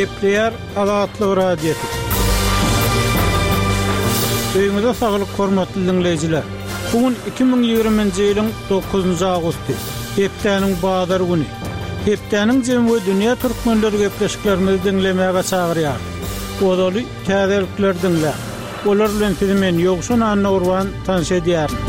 Gepleýär Azatlyk Radiosy. Öýüňize saglyk hormatly diňleýjiler! Bu gün 2020-nji ýylyň dokuzynjy awgusty, hepdäniň bazar güni. Hepdäniň jemi we dünýä türkmenleri gepleşiklerimizi diňlemäge çagyrýarys. Ozaly täzelikleri diňläň. Olar bilen sizi men Ýowşan Annagurban tanyş edýärin.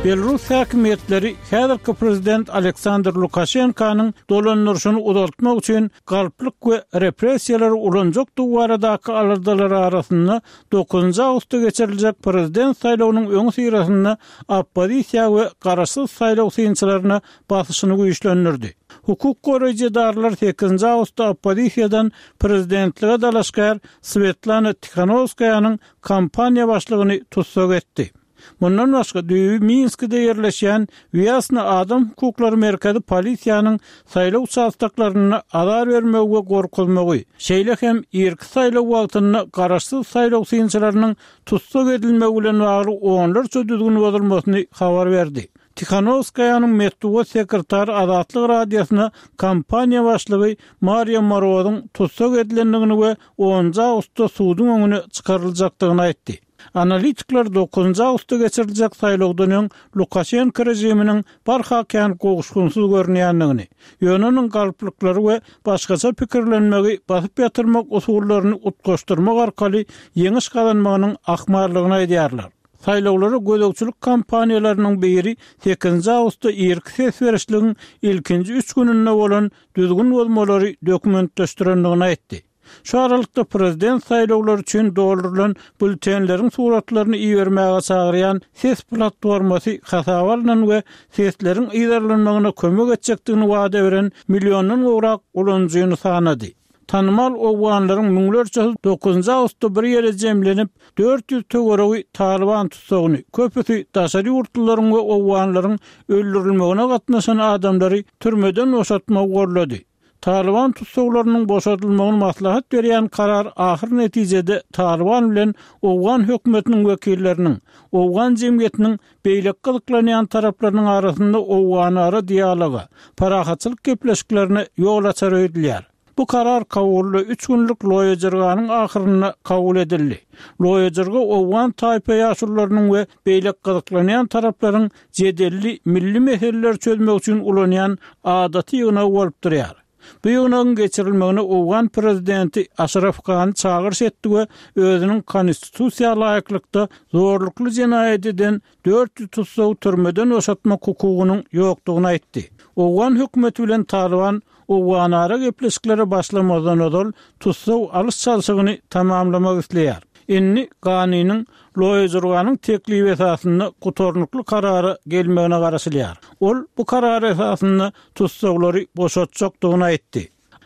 Belrus häkimiýetleri häzirki prezident Aleksandr Lukaşenkanyň dolandyryşyny uzaltmak üçin galplyk we repressiýalary ulanjakdygy baradaky aladalar arasynda dokuzynjy awgustda geçiriljek prezident saýlawynyň öňüsyrasynda oppozisiýa we garaşsyz saýlaw synçylaryna basyşyny güýçlendirdi. Hukuk goraýjy edaralar sekizinji awgustda oppozisiýadan prezidentlige dalaşgär Swetlana Tihanowskaýanyň kampaniýa başlygyny tussag etdi. Mundan başga, düýbi Minskide ýerleşýän Wýasna adam hukuklary merkezi polisiýanyň saýlaw uçastoklarynda azar bermegi we gorkuzmagy, şeýle hem irki saýlaw wagtynda garaşsyz saýlaw synçylarynyň tussag edilmegi bilen bagly onlarça düzgün bozulmasyny habar berdi. Tihanowskaýanyň metbugat sekretary Azatlyk Radiosyna kampaniýa başlygy Mariýa Morozyň tussag edilendigini we onunjy awgustda suduň öňüne çykaryljakdygyny aýtdy. Analitikler dokuzynjy awgustda geçiriljek saýlawdan öň Lukaşenko režiminiň barha kän gowuşgynsyz görünýändigini, ýöne onuň galplyklary we başgaça pikirlenmegi basyp ýatyrmak usullaryny utgaşdyrmak arkaly ýeňiş gazanmagynyň ahmallygyny aýdýarlar. Saýlawlara gözegçilik kampaniýalarynyň biri sekizinji awgustda irki ses berişligiň ilkinji üç gününde bolan düzgün bozmalary dokumentleşdirendigini aýtdy. Şu aralykda prezident saýlawlary üçin doldurylan býulletenleriň suratlaryny ibermäge çagyrýan ses platformasy hasaba alnan we sesleriň yzarlanmagyna kömek etjekdigini wada beren milliondan gowrak ulanyjyny sanady. Tanymal owganlaryň müňlerçesi dokuzynjy awgustda bir ýere jemlenip, 400 töweregi Talyban tussagyny, köpüsi daşary ýurtlularyň we owganlaryň öldürilmegine gatnaşan adamlary türmeden boşatmagy gollady. Talyban tussaglarynyň boşadylmagyny maslahat berýän karar ahyr netijede Talyban bilen owgan hökümetiniň wekilleriniň, owgan jemgyýetiniň beýleki gyzyklanýan taraplarynyň arasynda owganara dialoga, parahatçylyk gepleşiklerine ýol açar öýdülýär. Bu karar Kabulda üç günlük Loýa Jirganyň ahyrynda kabul edildi. Loýa Jirga owgan taýpa ýaşulularynyň we beýleki gyzyklanýan taraplaryň jedelli milli meseleleri çözmek üçin ulanýan adaty ýygnagy bolup durýar. Bu ýygnagyň geçirilmegine owgan prezidenti Aşraf Gani çagyryş etdi we özüniň konstitusiýa laýyklykda zorlukly jenaýat eden 400 tussagy türmeden boşatmak hukugynyň ýokdugyny aýtdy. Owgan hökümeti bilen Talyban owganara gepleşiklere başlamazdan ozal tussag alyş-çalşygyny tamamlamak isleýär. Indi Ganiniň Loýa-Jurganyň teklibi esasynda gutarnykly karara gelmegine garaşylýar. Ol bu karar esasynda tussaglary boşatjakdygyny aýtdy.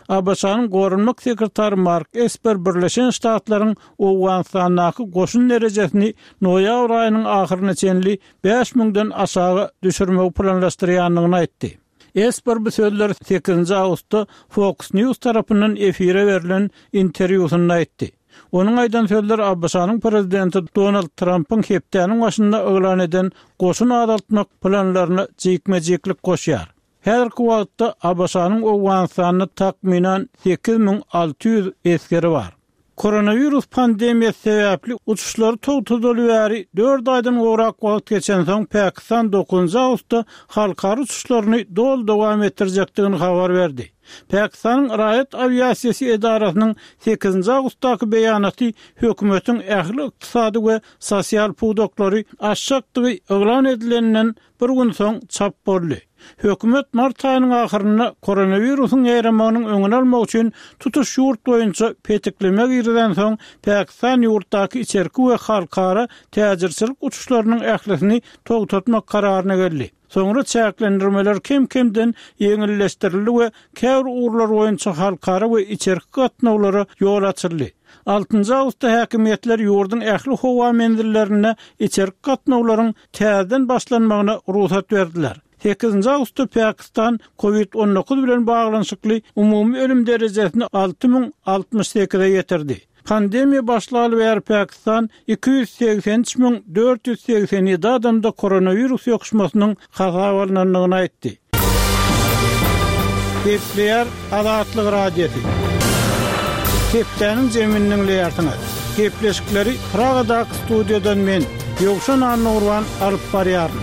ABŞ-nyň Goranmak sekretary Mark Esper Birleşen Ştatlaryň Owganystandaky goşun derejesini noýabr aýynyň ahyryna çenli bäş müňden aşaga düşürmegi planlaşdyrýandygyny aýtdy. Esper bu sözleri sekizinji awgustda Fox News tarapyndan efire berlen interwýusynda aýtdy. Onuň aýdan sözleri ABŞ-nyň prezidenti Donald Trampyň hepdäniň başynda yglan eden goşun azaltmak planlaryna jikme-jiklik goşýar. Häzirki wagtda ABŞ-nyň Owganystanda takmynan 8600 esgeri bar. Koronawirus pandemiýasy sebäpli uçuşlary togtadaly bäri dört aýdan gowrak wagt geçensoň, Pakistan dokuzynjy awgustda halkara uçuşlaryny doly dowam etdirjekdigini habar berdi. Pakistanyň raýat awiasiýasy edarasynyň sekizinji awgustdaky beýanaty hökümetiň ähli ykdysady we sosial pudaklary açjakdygy yglan edileninden bir gün soň çap boldy. Hökümet mart aýynyň ahyrynda koronawirusyň ýaýramagynyň öňüni almak üçin tutuş ýurt boýunça petikleme girizensoň, Pakistan ýurtdaky içerki we halkara täjirçilik uçuşlarynyň ählisini togtatmak kararyna geldi. Soňra çäklendirmeler kem-kemden ýeňilleşdirildi we käbir ugurlar boýunça halkara we içerki gatnawlara ýol açyldy. Altynjy awgustda häkimiýetler ýurduň ähli howa menzillerinde içerki gatnawlaryň täzeden başlanmagyna rugsat berdiler. Sekizinji awgustda Pakistan Covid 19 bilen baglanyşykly umumy ölüm derejesini 6068-e ýetirdi. Pandemiýa başlaly bäri Pakistan 283 487 adamda koronawirus ýokuşmasynyň hasaba alnandygyny aýtdy. Gepleýär Azatlyk Radiosy. Hepdäniň jemini diňleýärsiňiz. Gepleşikleri Pragadaky studiýadan men, Ýowşan Annagurban alyp barýaryn.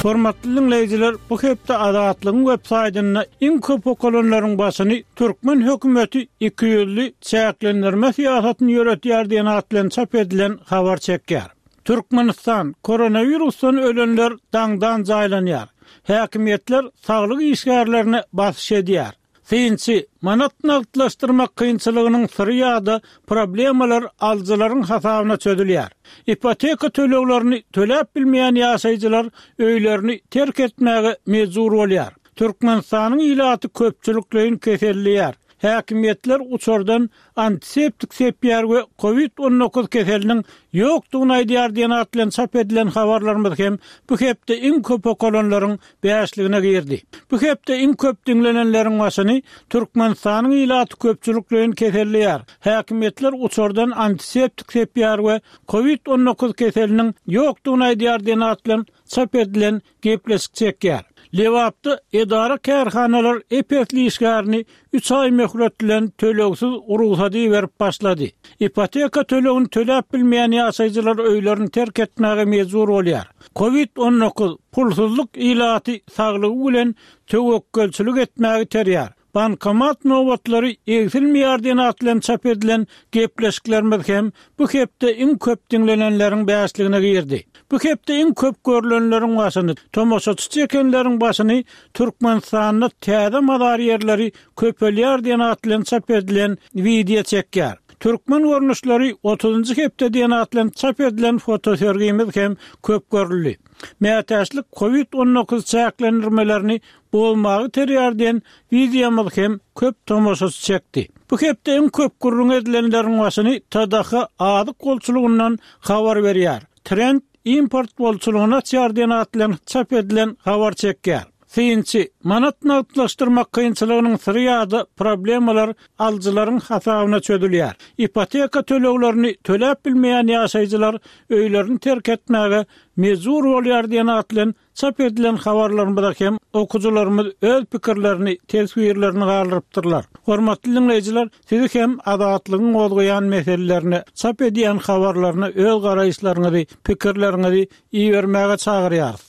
Hormatly diňleýjiler, bu hepde Azatlygyň web saýtynda iň köp okalanlaryň başyny Türkmen hökümeti ikiýüzli çäklendirme syýasatyny ýöretýär diýen at bilen çap edilen habar çekýär. Türkmenistan, koronawirusdan ölenler daňdan jaýlanýar. Häkimiýetler saglyk işgärlerine basyş edýär. Synçy, manat nagtlaşdyrmak kynçylygynyň syry ýa-da problemalar alyjylaryň hasabyna çözülýär. Ipoteka töleglerini töläp bilmeýän ýaşaýjylar öýlerini terk etmäge mejbur bolýar. Türkmenistanyň ilaty köpçülikleýin keselleýär. Häkimiýetler uçardan antiseptik sepýär we Covid 19 keseliniň ýokdugyny aýdýar diýen at bilen çap edilen habarlarymyz hem bu hepde iň köp okalanlaryň bäşligine girdi. Bu hepde iň köp diňlenenleriň başyny Türkmenistanyň ilaty köpçülikleýin keselleýär, häkimiýetler uçardan antiseptik sepýär we Covid 19 keseliniň ýokdugyny aýdýar diýen at bilen çap edilen gepleşik çekýär. Lebapda edara-kärhanalar ep-esli işgärini üç aý möhlet bilen tölegsiz rugsat iberip başlady. Ipoteka tölegini töläp bilmeýän ýaşaýjylar öýlerini terk etmäge mejbur bolýar. Covid 19, pulsuzlyk ilaty saglygy bilen töwekgelçilik etmäge iterýär. Bankomat nobatlary egsilmeýär diýen at bilen çap edilen gepleşiklerimiz hem bu hepde iň köp diňlenenleriň bäşligine girdi. Bu hepde iň köp görlenleriň başyny, tomaşaçy çekenleriň başyny Türkmenistanda täze mazar ýerleri köpelýär diýen at bilen çap edilen wideo çekýär. Türkmen görnüşleri otuzynjy hepde diýen at bilen çap edilen fotosergimiz hem köp görüldi. Mätäçlik Covid 19 çäklendirmelerini bozmagy terýär diýen wideomyz hem köp tomaşaçy çekdi. Bu hepde iň köp gürrüň edilenleriň başyny TDH azyk bolçulygyndan habar berýär. Trend import bolçulygyny açýar diýen at bilen çap edilen habar çekýär. Synçy, manat nagtlaşdyrmak kynçylygynyň syry ýa-da problemalar alyjylaryň hasabyna çözülýär. Ipoteka töleglerini töläp bilmeýän ýaşaýjylar öýlerini terk etmäge mejbur bolýar diýen at bilen Çap edilen habarlarymyza hem okyjylarymyz öz pikirlerini, teswirlerini galdyrypdyrlar. Hormatly diňleýjiler, sizi hem Azatlygyň gozgaýan meselelerine, çap edýän habarlaryna öz garaýyşlaryňyzy, pikirleriňizi ibermäge çagyrýarys.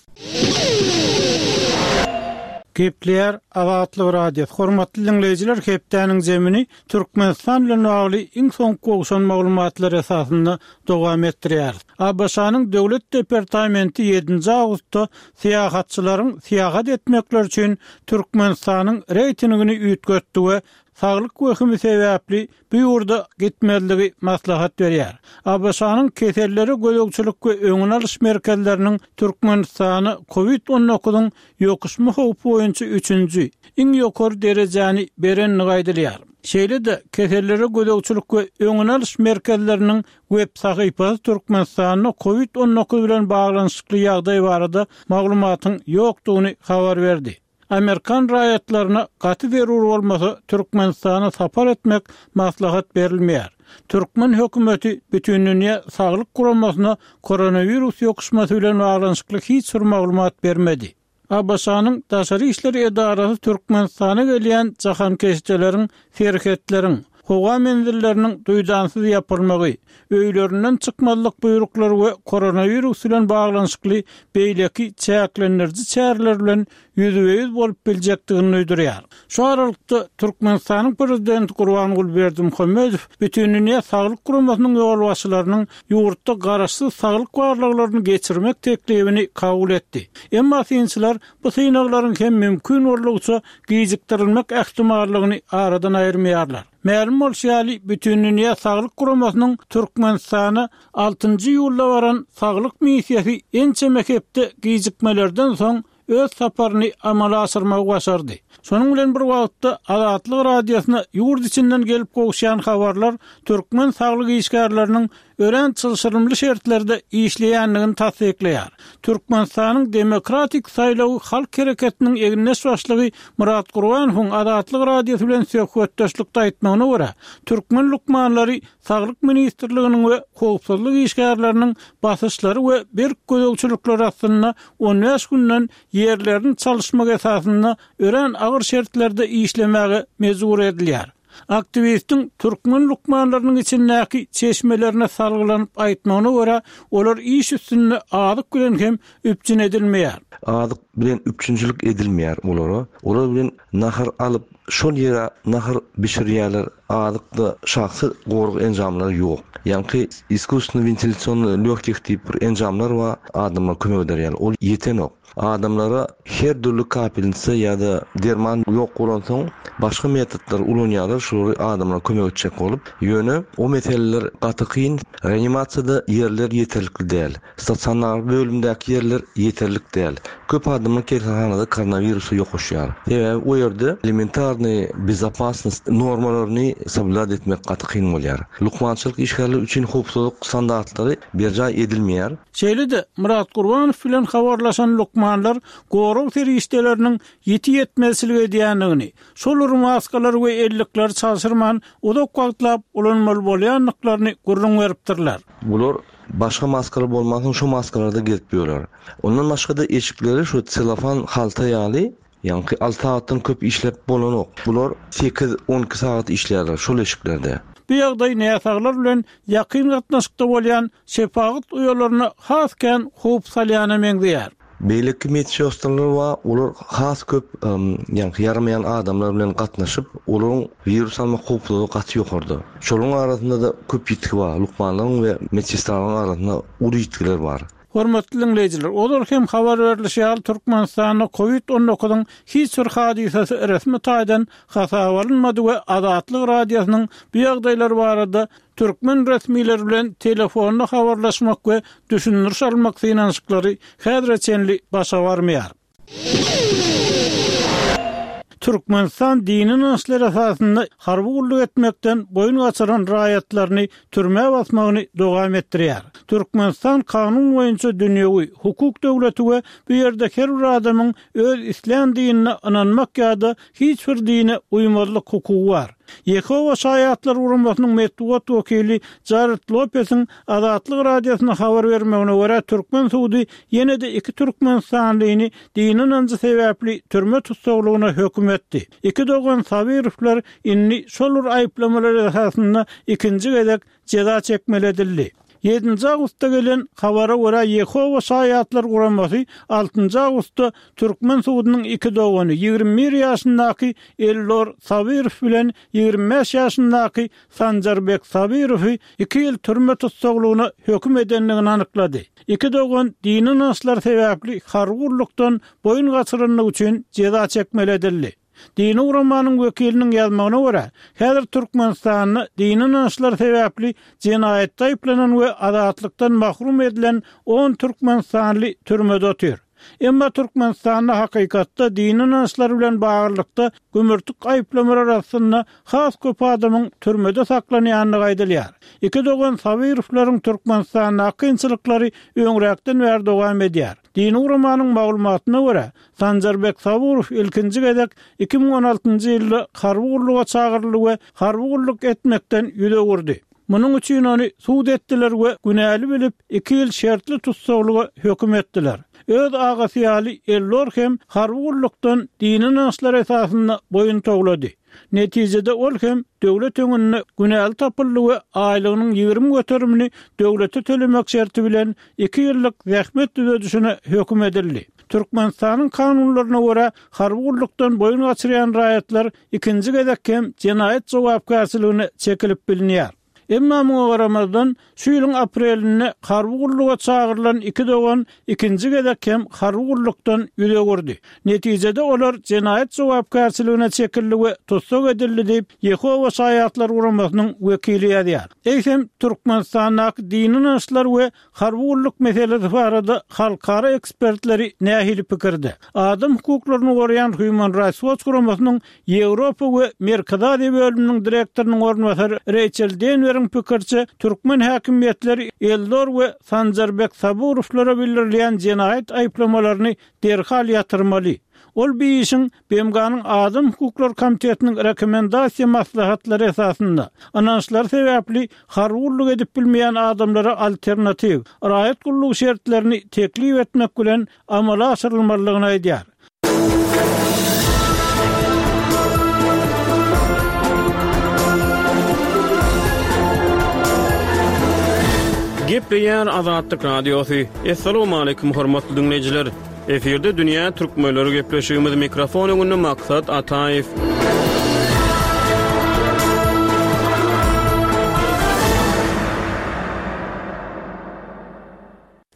Gepleýär Azatlyk Radiosy. Hormatly diňleýjiler, hepdäniň zemini Türkmenistan bilen bagly iň soňky gowşan maglumatlar esasynda dowam etdirýäris. ABŞ-nyň Döwlet departamenti ýedinji awgustda syýahatçylaryň syýahat etmekleri üçin Türkmenistanyň reýtingini üýtgetdi we saglyk wehimi sebäpli bu ýurda gitmezligi maslahat berýär. ABŞ-nyň Kesellere gözegçilik we öňüni alyş merkezleriniň Türkmenistana Covid 19-yň ýokuşma howpy boýunça üçünji, iň ýokary derejäni berendigi aýdylýar. Şeýle-de, Kesellere gözegçilik we öňüni alyş merkezleriniň web sahypasy Türkmenistanda Covid 19 bilen baglanyşykly ýagdaý barada maglumatyň ýokdugyny habar berdi. Amerikan raýatlaryna gaty zerur bolmasa Türkmenistana sapar etmek maslahat berilmeýär. Türkmen hökümeti Bütindünýä Saglyk Guramasyna koronawirus ýokuşmasy bilen baglanyşykly hiç bir maglumat bermedi. ABŞ-nyň Daşary işler edarasy Türkmenistana gelýän jahankeşdeleriň serhetleriň, howa menzilleriniň duýdansyz ýapylmagy, öýlerinden çykmazlyk buýruklary we koronawirus bilen baglanyşykly beýleki çäklendiriji çäreler bilen ýüzbe-ýüz bolup biljekdigini duýdurýar. Şu aralykda, Türkmenistanyň Prezidenti Gurbanguly Berdimuhamedow Bütindünýä Saglyk Guramasynyň ýolbaşçylarynyň ýurtda garaşsyz saglyk barlaglaryny geçirmek teklibini kabul etdi. Emma synçylar bu synaglaryň hem mümkin boldugyça gijikdirilmek ähtimallygyny aradan aýyrmaýarlar. Mälim bolşy ýaly, Bütindünýä Saglyk Guramasynyň Türkmenistana altynjy iýulda baran saglyk missiýasy ençeme hepde gijikmelerden soň öz saparyny amala aşyrmagy başardy. Şonuň bilen bir wagtda, Azatlyk Radiosyna ýurt içinden gelip gowuşýan habarlar türkmen saglyk işgärleriniň örän çylşyrymly şertlerde işleýändigini tassyklaýar. Türkmenistanyň Demokratik saýlawy halk hereketiniň egindeş başlygy Myrat Gurbanowyň Azatlyk Radiosy bilen söhbetdeşlikde aýtmagyna görä, türkmen lukmanlary Saglyk ministrliginiň we howpsuzlyk işgärleriniň basyşlary we berk gözegçilikleri astynda on bäş günden ýerlerini çalyşmak esasynda örän agyr şertlerde işlemäge mejbur edilýär. Aktiwistiň türkmen lukmanlarynyň içindäki çeşmelerine salgylanyp aýtmagyna görä, olar iş üstünde azyk bilen hem üpjün edilmeýär. Azyk bilen üpjünçilik edilmeýär olara. Olar bilen nahar alyp, şol ýere nahar bişirýärler. Azykda şahsy gorag enjamlary ýok. Ýaňky iskusstwennyi wentilýasionnyý lýogkih diýip bir enjamlar bar, adamlara kömek eder ýaly. Ol ýetenok. Adamlara her dürli kapelnitsa ýa-da derman ýok bolansoň, başga metodlary ulanýarlar, şolary adamlara kömek etjek bolup. Ýöne o meseleler gaty kyn. Reanimasiýada ýerler ýeterlikli däl. Stasionar bölümdäki ýerler ýeterlik däl. Köp adamlar keselhanada koronawirusa ýokaşýar. Sebäbi o ýerde elementarnyý bezopasnost normalaryny soblýudat etmek gaty kyn bolýar. Lukmançylyk işgärleri üçin howpsuzlyk standartlary berjaý edilmeýär. Şeýle-de, Myrat Gurbanow bilen habarlaşan lukmanlar gorag serişdeleriniň ýiti ýetmezçilik edýändigini, şol bir maskalary we ellikleri çalşyrman uzak wagtlap ulanmaly bolýandyklaryny gürrüň beripdirler. Bular Başga maskalar bolmansoň şo maskalarda gezip ýörer. Ondan başgada eşikleri şo selofan halta ýaly ýaňky alty sagatdan köp işläp bolanok. Bular sekiz, onki sagat işlärler şol eşiklerde. Bu ýagdaý näsaglar bilen ýakyn gatnaşykda bolýan şepagat uýalaryna has kän howp salýana meňzeýär. Beýleki medsestralar bar, olar has köp ýaňky ýaramaýan adamlar bilen gatnaşyp, olaryň wirus almak howplulygy gaty ýokarda. Şolaryň arasynda-da köp ýitgi bar, lukmanlaryň we medsestralaryň arasynda uly ýitgiler bar. Hormatly diňleýjiler, ozal hem habar berlişi ýaly, Türkmenistanda Covid on dokuzyň hiç bir hadysasy resmi taýdan hasaba alynmady we Azatlyk Radiosynyň bu ýagdaýlar barada Türkmen resmileri bilen telefonda habarlaşmak we düşündiriş almak synanyşyklary häzire çenli başa barmaýar. Türkmenistan dini ynançlar esasynda harby gulluk etmekden boýun gaçyran raýatlaryny türmä basmagyny dowam etdirýär. Türkmenistan kanun boýunça dünýewi, hukuk döwleti we bu ýerde her bir adamyň öz islän dinine ynanmak ýa-da hiç bir dine uýmazlyk hukugy bar. Ýehowa Şaýatlary guramasynyň metbugat wekili Jared Lopesiň Azatlyk Radiosyna habar bermegine görä, türkmen sudy ýene-de iki türkmenistanlyny dini ynanjy sebäpli türme tussaglygyna höküm etdi. Iki dogan Sabirowlar indi şol bir aýyplamalar esasynda ikinji gezek jeza çekmeli edildi. Ýedinji awgustda gelen habara görä, Ýehowa Şaýatlary guramasy altynjy awgustda türkmen sudunyň iki dogany, 21 ýaşyndaky Eldor Sabyrow bilen 25 ýaşyndaky Sanjarbek Sabyrowy iki ýyl türme tussaglygyna höküm edendigini anyklady. Iki dogan dini ynançlary sebäpli harby gullukdan boýun gaçyrandygy üçin jeza çekmeli edildi. Dini guramanyň wekiliniň ýazmagyna görä, häzir Türkmenistanda dini ynançlar sebäpli jenaýatda aýyplanan we azatlykdan mahrum edilen on türkmenistanly türmede otyr. Emma Türkmenistanda hakykatda dini ynançlar bilen baglylykda gümürtik aýyplamalar astynda has köp adamyň türmede saklanýandygy aýdylýar. Iki dogan Sabyrowlaryň Türkmenistandaky kynçylyklary öňräkden bäri dowam edýär. Dini guramanyň maglumatyna görä, Sanjarbek Saburow ilkinji gezek 2016-njy ýylda harby gulluga çagyryldy we harby gulluk etmekden ýüz öwürdi. Munuň üçin ony sud etdiler we günäli bilip, iki ýyl şertli tussaglyga höküm etdiler. Öz agasy ýaly Eldor hem harby gullukdan dini ynançlar esasynda boýun towlady. Netijede ol hem döwlet öňünde günäli tapyldy we aýlygynyň 20 göterimini döwlete tölemek şerti bilen iki ýyllyk zähmet düzedişine höküm edildi. Türkmenistanyň kanunlaryna görä, harby gullukdan boýun gaçyrýan raýatlar ikinji gezek hem jenaýat jogapkärçiligine çekilip bilinýär. Emma muňa garamazdan, şu ýylyň aprelinde harby gulluga çagyrylan iki dogan ikinji gezek hem harby gullukdan ýüz öwürdi. Netijede olar jenaýat jogapkärçiligine çekildi we tussag edildi diýip, Ýehowa Şaýatlary guramasynyň wekili ýazýar. Eýsem, Türkmenistandaky dini ynançlar we Harby gulluk meselesi barada halkara ekspertleri nähili pikirde? Adam hukuklaryny goraýan Human Rights Watch guramasynyň Ýewropa we Merkezi Aziýa bölüminiň direktorynyň orunbasary Reýçel Denweriň. Lideriň pikiriçe, türkmen häkimiýetleri Eldor we Sanjarbek Saburowlara bildirilýän jenaýat aýyplamalaryny derhal ýatyrmaly. Ol bu işiň BMG-niň Adam hukuklary komitetiniň rekomendasiýa maslahatlary esasynda, ynançlary sebäpli harby gulluk edip bilmeýän adamlara alternatiw, raýat gullugy şertlerini teklip etmek bilen amala aşyrylmalydygyny aýdýar. Gepleýär Azatlyk Radiosy. Assalamualaikum hormatly diňleýjiler. Efirde dünýä türkmenleri gepleşigimiz mikrofon öňünde Maksat Ataýew.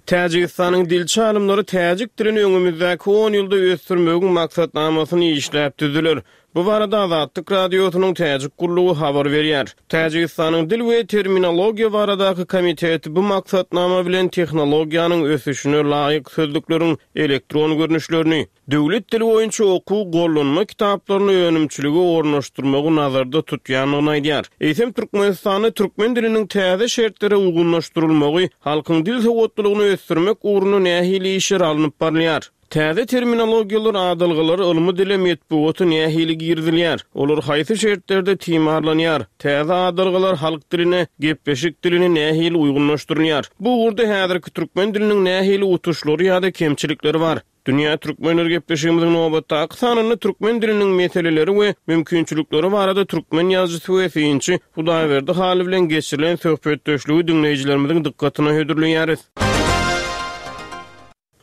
Täjigistanyň dilçi alymlary täjik dilini öňümizdäki on ýylda ösdürmegiň maksatnamasyny işläp düzdüler. Bu barada Azatlyk Radiosynyň Täjik gullugy habar berýär. Täjigistanyň Dil we terminologiýa baradaky komiteti bu maksatnama bilen tehnologiýanyň ösüşine laýyk sözlükleriň elektron görnüşlerini, döwlet dili boýunça okuw gollanma kitaplaryny önümçilige ornaşdyrmagy nazarda tutýandygyny aýdýar. Eýsem, Türkmenistanda türkmen diliniň täze şertlere uýgunlaşdyrylmagy, halkyň dil sowatlylygyny ösdürmek ugrunda nähili işler alnyp barylýar? Täze terminologiýalar, adalgalar ylmy dile, metbugata nähili girizilýär? Olar haýsy şertlerde timarlanýar? Täze adalgalar halk diline, gepleşik diline nähili uýgunlaşdyrylýar? Bu ugurda häzirki türkmen diliniň nähili utuşlary ýa-da kemçilikleri bar? Dünýä Türkmenleri gepleşigimiziň nobatdaky sanynda türkmen diliniň meseleleri we mümkinçilikleri barada türkmen ýazyjysy we synçy Hudaýberdi Hally bilen geçirilen söhbetdeşligi diňleýjilerimiziň dykgatyna hödürleýäris.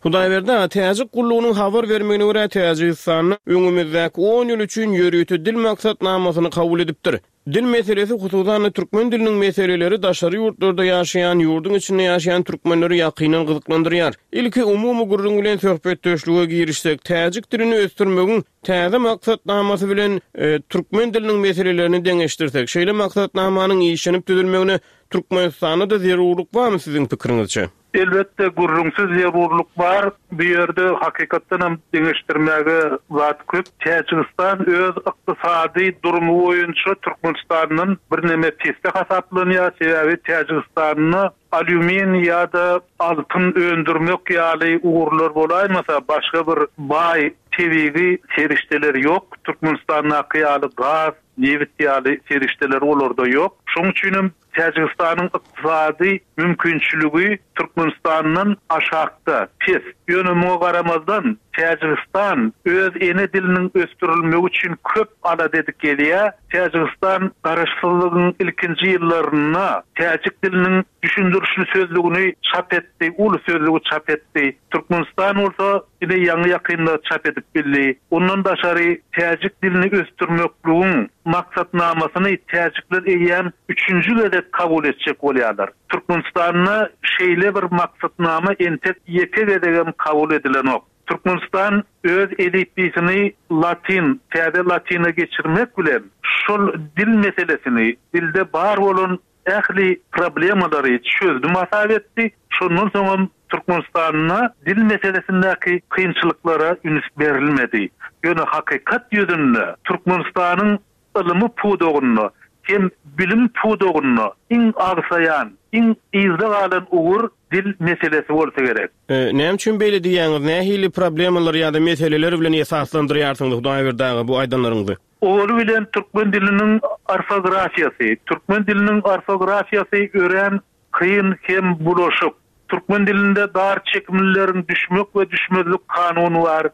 Hudaýberdi aga, täjik gullugynyň habar bermegine görä, Täjigistanda öňümizdäki on ýyl üçin ýörite dil maksatnamasyny kabul edipdir. Dil meselesi, hususan-da, türkmen diliniň meseleleri daşary ýurtlarda ýaşaýan, ýurduň içinde ýaşaýan türkmenleri ýakyndan gyzyklandyrýar. Ilki umumy gürrüň bilen söhbetdeşlige girişsek, täjik dilini ösdürmegiň täze maksatnamasy bilen türkmen diliniň meselelerini deňeşdirsek, şeýle maksatnamanyň işlenip düzülmegine Türkmenistanda-da zerurlyk barmy siziň pikiriňizçe? Elbetde, gürrüňsiz zerurlyk bar. Bu ýerde hakykatdan hem deňeşdirmäge zat köp. Täjigistan öz ykdysady durumy boýunça Türkmenistandan birneme pesde hasaplanýar. Sebäbi Täjigistanda alýumin ýa-da altyn öndürmek ýaly ugurlar bolaýmasa, başga bir baý tebigy serişdeler ýok. Türkmenistandaky ýaly gaz, nebit ýaly serişdeler olarda ýok. Şonuň üçin hem Täjigistanyň ykdysady mümkinçiligi Türkmenistandan aşakda, pes. Ýöne muňa garamazdan, Täjigistan öz ene diliniň ösdürilmegi üçin köp alada edip gelýär. Täjigistan garaşsyzlygyň ilkinji ýyllarynda täjik diliniň düşündirişli sözlügini çap etdi, uly sözlügi çap etdi. Türkmenistan bolsa ine ýaňy-ýakynda çap edip bildi. Ondan daşary täjik dilini ösdürmekligiň maksatnamasyny täjikler eýýäm üçünji gezek kabul etjek bolýarlar. Türkmenistanda şeýle bir maksatnama entek ýeke gezegem kabul edilenok. Türkmenistan öz elipbiýsini latyn, täze latyna geçirmek bilen şol dil meselesini, dilde bar bolan ähli problemalary çözdüm hasap etdi. Şondan soňam Türkmenistanda dil meselesindäki kynçylyklara üns berilmedi. Ýöne hakykat ýüzünde Türkmenistanyň ylymy pudagynda hem bilim pudagynda iň agsaýan, iň yzda galan ugur dil meselesi bolsa gerek. Näme üçin beýle diýýäňiz? Nähili problemalar ýa-da meseleler bilen esaslandyrýarsyňyz Hudaýberdi aga bu aýdanlaryňyzy? Owaly bilen türkmen diliniň orfografiýasy. Türkmen diliniň orfografiýasy örän kyn hem bulaşyk. Türkmen dilinde dar çekimlileriň düşmek we düşmezlik kanuny bar,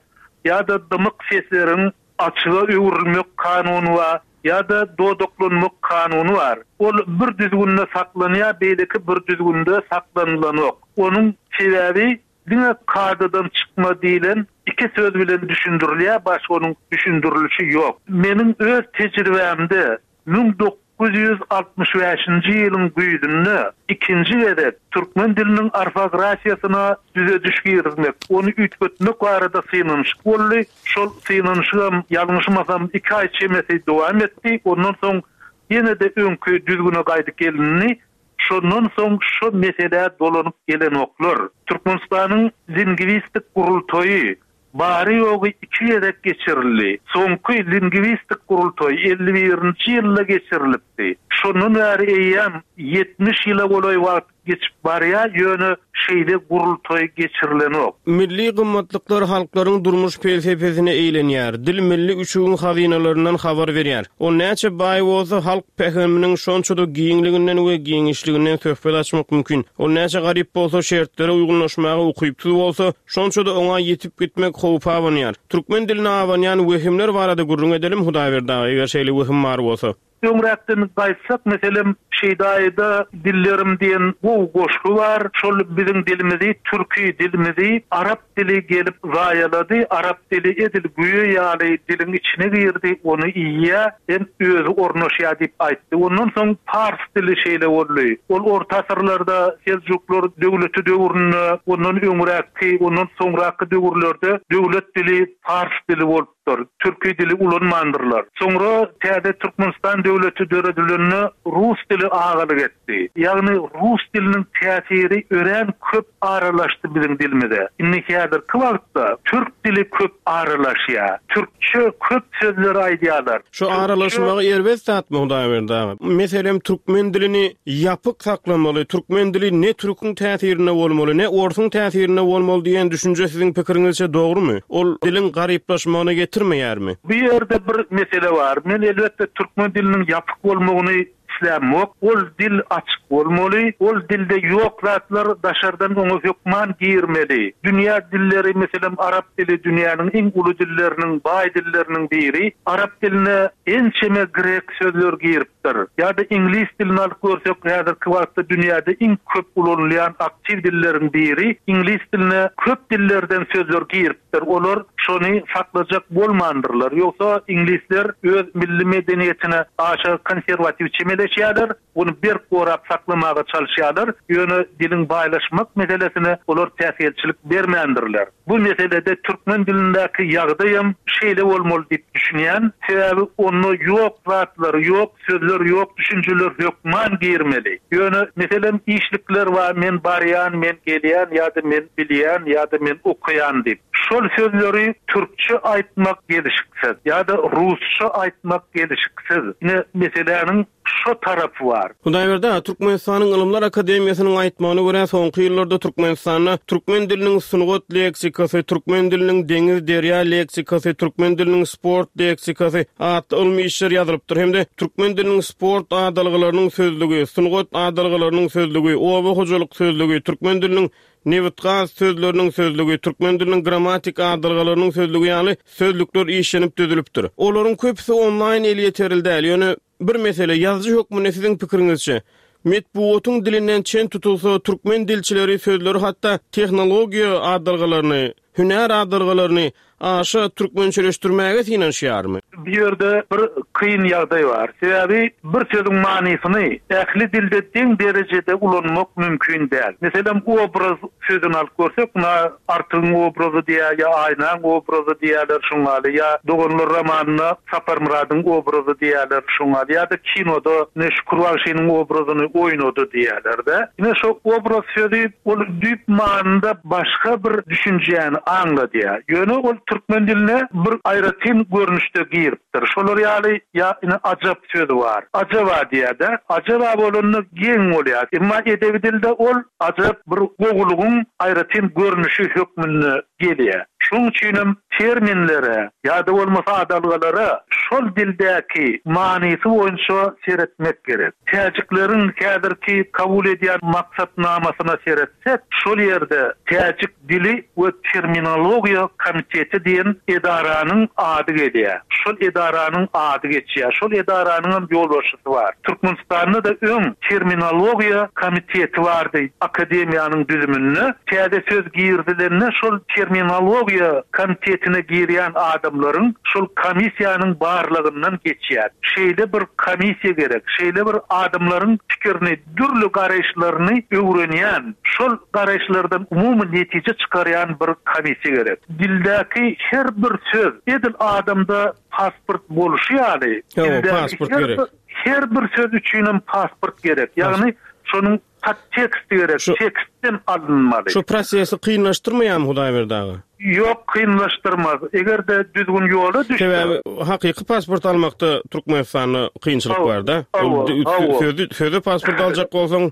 ýa-da dymyk sesleriň açyga öwrülmek kanuny bar, ýa-da dodaklanmak kanuny bar. Ol bir düzgünde saklanýar, beýleki bir düzgünde saklanylanok. Onuň sebäbi Diňe kadadan çykma diýlen iki söz bilen düşündirilýär, başga onuň düşündirilişi ýok. Meniň öz tejribämde 1965-nji ýylyň güýzünde ikinji gezek türkmen diliniň orfografiýasyna düzediş girizmek, ony üýtgetmek barada synanyşyk boldy. Şol synanyşygam, ýalňyşmasam, iki aý çemesi dowam etdi. Ondan soň ýene-de öňki düzgüne gaýdyp gelindi. Şondan soň şo meselä dolanyp gelenoklar. Türkmenistanyň Lingwistik gurultaýy bary-ýogy iki gezek geçirildi. Soňky lingwistik gurultaý 51-nji ýylda geçirilipdi. Şondan bäri eýýäm 70 ýyla golaý wagt geçip barýar, ýöne şeýle gurultaý geçirilenok. Milli gymmatlyklar halklaryň durmuş pelsepesine eýlenýär. Dil milli üçügiň hazynalaryndan habar berýär. Ol näçe baý bolsa, halk pähiminiň şonça-da giňliginden we giňişliginden söhbet açmak mümkin. Ol näçe garyp bolsa, şertlere uýgunlaşmaga ukypsyz bolsa, şonça-da oňa ýitip gitmek howpy abanýar. Türkmen diline abanýan wehimler barada gürrüň edelim, Hudaýberdi aga, eger şeýle wehim bar bolsa. Öňräkden gaýtsak, meselem, Şeýdaýyda Dillerim diýen gowy goşgy bar. Şol biziň dilimizi, türki dilimizi arap dili gelip zaýalady. Arap dili edil güýe ýaly diliň içine girdi, ony iýýär hem özi ornaşýar diýip aýtdy. Ondan soň pars dili şeýle boldy. Ol orta asyrlarda Seljuklar döwleti döwründe, ondan öňräkki, ondan soňraky döwürlerde döwlet dili pars dili bolup Dur. Türki dili ulanmandyrlar. Soňra täze Türkmenistan döwleti döredilende rus dili agalyk etdi. Ýagny rus diliniň täsiri örän köp aralaşdy biziň dilimize. Indi häzirki wagtda türk dili köp aralaşýar. Türkçe köp sözleri aýdýarlar. Şu aralaşmagy erbet zatmy Hudaýberdi aga? Meselem türkmen dilini ýapyk saklamaly, türkmen dili ne türküň täsirinde bolmaly, ne orsuň täsirinde bolmaly diýen düşünje siziň pikiriňizçe dogrumy? Ol diliň garyplaşmagyna getirmeýärmi? Bu ýerde bir mesele bar. Men elbetde türkmen diliniň ýapyk bolmagyny islämok. Ol dil açyk bolmaly. Ol dilde ýok zatlar daşardan oňa hökman girmeli. Dünýä dilleri, meselem, arap dili dünýäniň iň uly dilleriniň, baý dilleriniň biri. Arap diline ençeme grek sözler girip. Dyr. Ýa-da iňlis dilini alyp görsek, häzirki wagtda dünýäde iň köp ulanylýan aktiw dilleriň biri, iňlis diline köp dillerden sözler giripdir. Olar şony saklajak bolmandyrlar. Ýogsa iňlisler öz milli medeniýetine aşa konserwatiw çemeleşýärler, ony berk gorap saklamaga çalyşýarlar, ýöne diliň baýlaşmak meselesine olar päsgelçilik bermändirler. Bu meselede türkmen dilindäki ýagdaýam şeýle bolmaly diýip düşünýän. Sebäbi onda ýok zatlar, ýok sözler, ýok düşünjeler hökman girmeli. Ýöne, meselem, işlikler bar, men barýan, men gelýän ýa-da men bilýän ýa-da men okaýan diýip. Şol sözleri türkçe aýtmak gelşiksiz ýa-da rusça aýtmak gelşiksiz. Ine, meseläniň Şo tarapy bar. Hudaýberdi aga, Türkmenistanyň Ylymlar akademiýasynyň aýtmagyna görä, soňky ýyllarda Türkmenistanda türkmen diliniň sungat leksikasy, türkmen diliniň deňiz, derýa leksikasy, türkmen diliniň sport leksikasy atly ylmy işler ýazylypdyr hem-de türkmen diliniň sport adalgalarynyň sözlügi, sungat adalgalarynyň sözlügi, oba hojalyk sözlügi, türkmen diliniň nebit-gaz sözleriniň sözlügi, türkmen diliniň grammatik adalgalarynyň sözlügi ýaly sözlükler işlenip düzülipdir. Olaryň köpüsi onlaýn elýeterli däl, ýöne bir mesele, ýazyjy hökmünde siziň pikiriňizçe, metbugatyň dilinden çen tutulsa, türkmen dilçileri sözleri hatda tehnologiýa adalgalaryny, hünär adalgalaryny aşa türkmençeleşdirmäge synanyşýarmy? Bu ýerde bir kyn ýagdaý bar. Sebäbi bir sözüň manysyny ähli dilde deň derejede ulanmak mümkin däl. Meselem, obraz sözüni alyp görsek, muna Artygyň obrazy diýýär ýa Aýnaň obrazy diýýärler şuň ýaly, ýa Doganlar romanynda Saparmyradyň obrazy diýýärler şuň ýaly, ýa-da kinoda ine Şükür bagşynyň obrazyny oýnady diýýärler-de. Ine şo obraz sözi ol düýp manyda başga bir düşünjäni aňladýar. Ýöne ol türkmen diline bir aýratyn görnüşde giripdir. Şolar ýaly ýa ine ajap sözi bar. Ajaba diýýär-de. Ajaba bolanda geň bolýar. Emma edebi dilde ol ajap bir gowulygyň aýratyn görnüşi hökmünde gelýär. Şonuň üçinem terminlere ýa-da bolmasa adalgalara şol dildäki manysy boýunça seretmek gerek. Täjikleriň häzirki kabul edýän maksatnamasyna seretsek, şol ýerde täjik dili we terminologiýa komiteti diýen edaranyň ady gelýär. Şol edaranyň ady geçýär. Şol edaranyňam ýolbaşçysy bar. Türkmenistanda-da öň terminologiýa komiteti bardy akademiýanyň düzüminde. Täze söz girizilende şol terminologiýa komitetine girýän adamlaryň şol komissiýanyň barlagyndan geçýär. Şeýle bir komissiýa gerek, şeýle bir adamlaryň pikirini, dürli garaýyşlaryny öwrenýän, şol garaýyşlardan umumy netije çykarýan bir komissiýa gerek. Dildäki her bir söz edil adamda pasport bolşy ýaly, dildäki her bir söz üçinem pasport gerek. Ýagny şonuň. Podtekst gerek, tekstden alynmaly. Şu prosesi kynlaşdyrmaýarmy Hudaýberdi aga? Ýok, kynlaşdyrmaz. Eger-de düzgün ýola düşse. Sebäbi hakyky pasport almakda Türkmenistanda kynçylyk bar-da. Ol sözde pasport aljak bolsaň.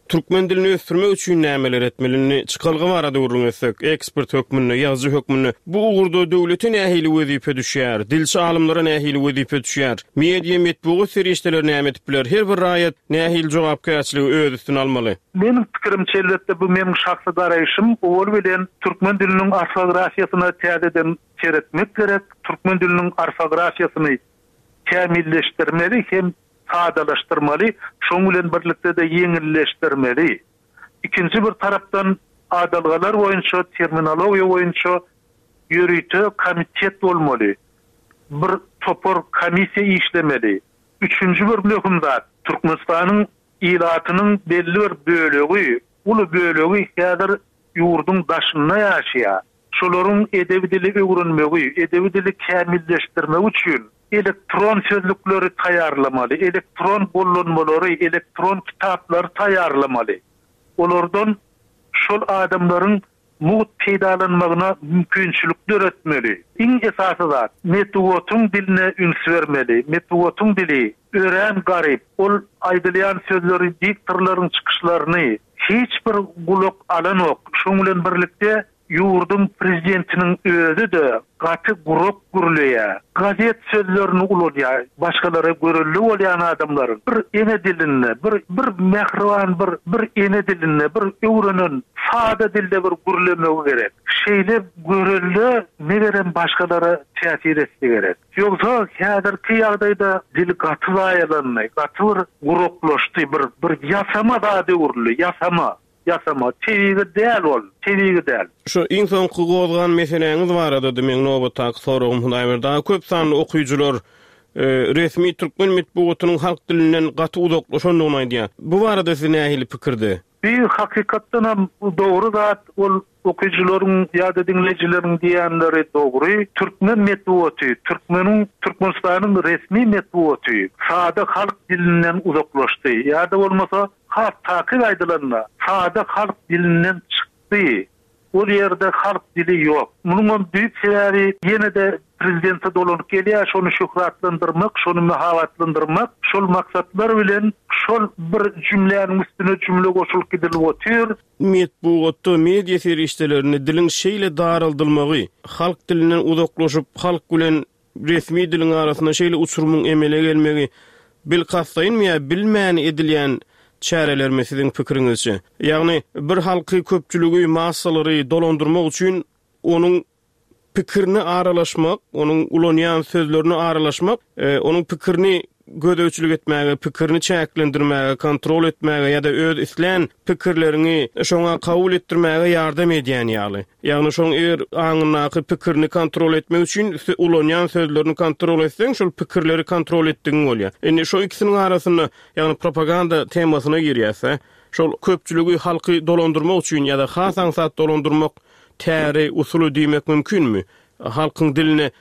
Türkmen dilini ösdürmek üçin nämeler etmeli? Indi çykalga barada gürrüň etsek, ekspert hökmünde, ýazyjy hökmünde bu ugurda döwlete nähili wezipe düşýär? Dilçi alymlara nähili wezipe düşýär? Media, metbugat serişdeleri näme edip biler? Her bir raýat nähili jogapkärçiligi öz üstüne almaly? Meniň pikirimçe, elbetde, bu meniň şahsy garaýşym, owal bilen türkmen diliniň orfografiýasyna täzeden seretmek gerek, türkmen diliniň orfografiýasyny kämilleşdirmeli hem sadalaşdyrmaly, şonuň bilen birlikde-de ýeňilleşdirmeli. Ikinji bir tarapdan, adalgalar boýunça, terminologiýa boýunça ýörite komitet bolmaly, bir topar komissiýa işlemeli. Üçünji bir möhüm zat, Türkmenistanyň ilatynyň belli bir bölegi, uly bölegi häzir ýurduň daşynda ýaşaýar. Şolaryň edebi dili öwrenmegi, edebi dili kämilleşdirmegi üçin elektron sözlükleri taýýarlamaly, elektron gollanmalary, elektron kitaplary taýýarlamaly. Olardan şol adamlaryň mugt peýdalanmagyna mümkinçilik döretmeli. Iň esasy zat, metbugatyň diline üns bermeli. Metbugatyň dili örän garyp. Ol aýdylýan sözleri, diktorlaryň çykyşlaryny hiç bir gulak alanok. Şoň bilen birlikde Ýurduň prezidentiniň özi-de gaty gurak gürleýär. Gazet sözlerini ulanýar. Başgalara görelde bolýan adamlaryň bir ene dilinde, bir bir mähriban bir bir ene dilinde bir öwrenen sada dilde bir gürlemegi gerek. Şeýle görelde megerem başgalara täsir etse gerek. Ýogsa häzirki ýagdaýda dil gaty zaýalandy, gaty bir guraklaşdy, bir bir ýasama zada öwrüldi, ýasama. Ýasama, tebigy däl ol, tebigy däl. Şu iň soňky gozgan meseläňiz baradady meň nobatdaky soragym Hudaýberdi aga. Köp sanly okyjylar resmi türkmen metbugatynyň halk dilinden gaty uzaklaşandygyny aýdýar. Bu barada siz nähili pikirde? Bir hakykatdanam dogry zat ol okyjylaryň ýa-da diňleýjileriň diýýänleri dogry. Türkmen metbugaty, türkmeniň, Türkmenistanyň resmi metbugaty sada halk dilinden uzaklaşdy ýa-da bolmasa Has takyk aýdylanda, sada halk dilinden çykdy. Ol ýerde halk dili ýok. Munuňam düýp sebäbi ýene-de prezidente dolanyp gelýär, şony şöhratlandyrmak, şony mahabatlandyrmak, şol maksatlar bilen şol bir jümläniň üstüne jümle goşulyp gidilip otyr. Metbugatda, media serişdelerinde diliň şeýle daraldylmagy, halk dilinden uzaklaşyp, halk bilen resmi diliň arasynda şeýle uçurymyň emele gelmegi bilkastlaýynmy ýa bilmän edilýän çärelermi siziň pikiriňizçe? Ýagny bir halky, köpçüligi, massalary dolandyrmak üçin onuň pikirine aralaşmak, onuň ulanýan sözlerine aralaşmak, onuň pikirini gözegçilik etmäge, pikirini çäklendirmäge, kontrol etmäge ýa-da öz islän pikirleriňi şoňa kabul etdirmäge ýardam edýän ýaly. Ýagny şoň eger aňyndaky pikirini kontrol etmek üçin ulanýan sözlerini kontrol etseň, şol pikirleri kontrol etdigiň bolýar. Indi şo ikisiniň arasynda, ýagny propaganda temasyna girýäs-dä. Şol köpçüligi, halky dolandyrmak üçin ýa-da has aňsat dolandyrmak täri, usuly diýmek mümkinmi? Halkyň diline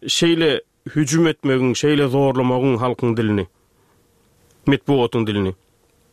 şeýle Hüjüm etmegiň, şeýle zorlamagyň halkyň dilini, metbugatyň dilini.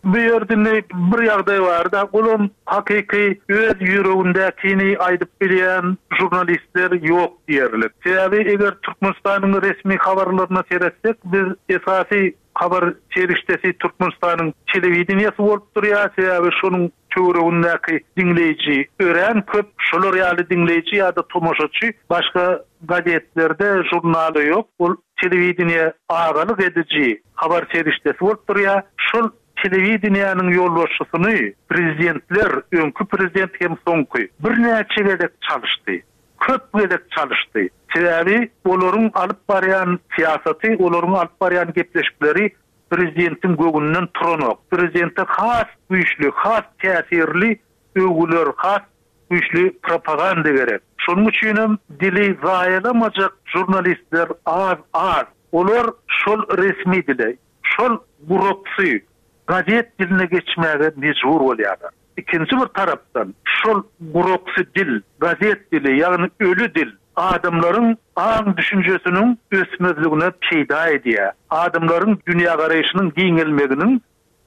Bu ýerde indi bir ýagdaý bar-da, olam hakyky öz ýüregindäkini aýdyp bilýän žurnalistler ýok diýerlik. Sebäbi eger Türkmenistanyň resmi habarlaryna seretsek, biz esasy habar serişdesi Türkmenistanyň telewideniýesi bolup durýar, sebäbi şonuň töweregindäki diňleýji örän köp, şolar ýaly diňleýji ýa-da tomaşaçy başga gazetlerde, žurnalda ýok. Ol telewideniýe agalyk ediji habar serişdesi bolup durýar. Şol telewideniýäniň ýolbaşçysyny prezidentler, öňki prezident hem soňky, birnäçe gezek çalyşdy. Köp gezek çalyşdy. Sebäbi olaryň alyp barýan syýasaty, olaryň alyp barýan gepleşikleri prezidentiň göwnünden turanok. Prezidente has güýçli, has täsirli öwgüler, has güýçli propaganda gerek. Şonuň üçinem dili zaýalamajak žurnalistler az-az. Olar şol resmi dile, şol guraksy gazet diline geçmäge mejbur bolýarlar. Ikinji bir tarapdan, şol guraksy dil, gazet dili, ýagny öli dil adamlaryň aň-düşünjesiniň ösmezligine peýda edýär. Adamlaryň dünýägaraýşynyň giňelmeginiň.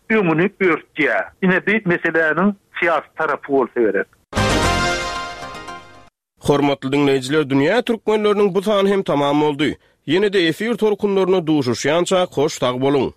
öňüni örtýär. Ine bi meseläniň syýasy tarapy bolsa gerek. Hormatly diňleýjiler Dünýä Türkmenleriniň bu sany hem tamam boldy. Ýene-de efir tolkunlarynda duşuşýançak hoş sag boluň.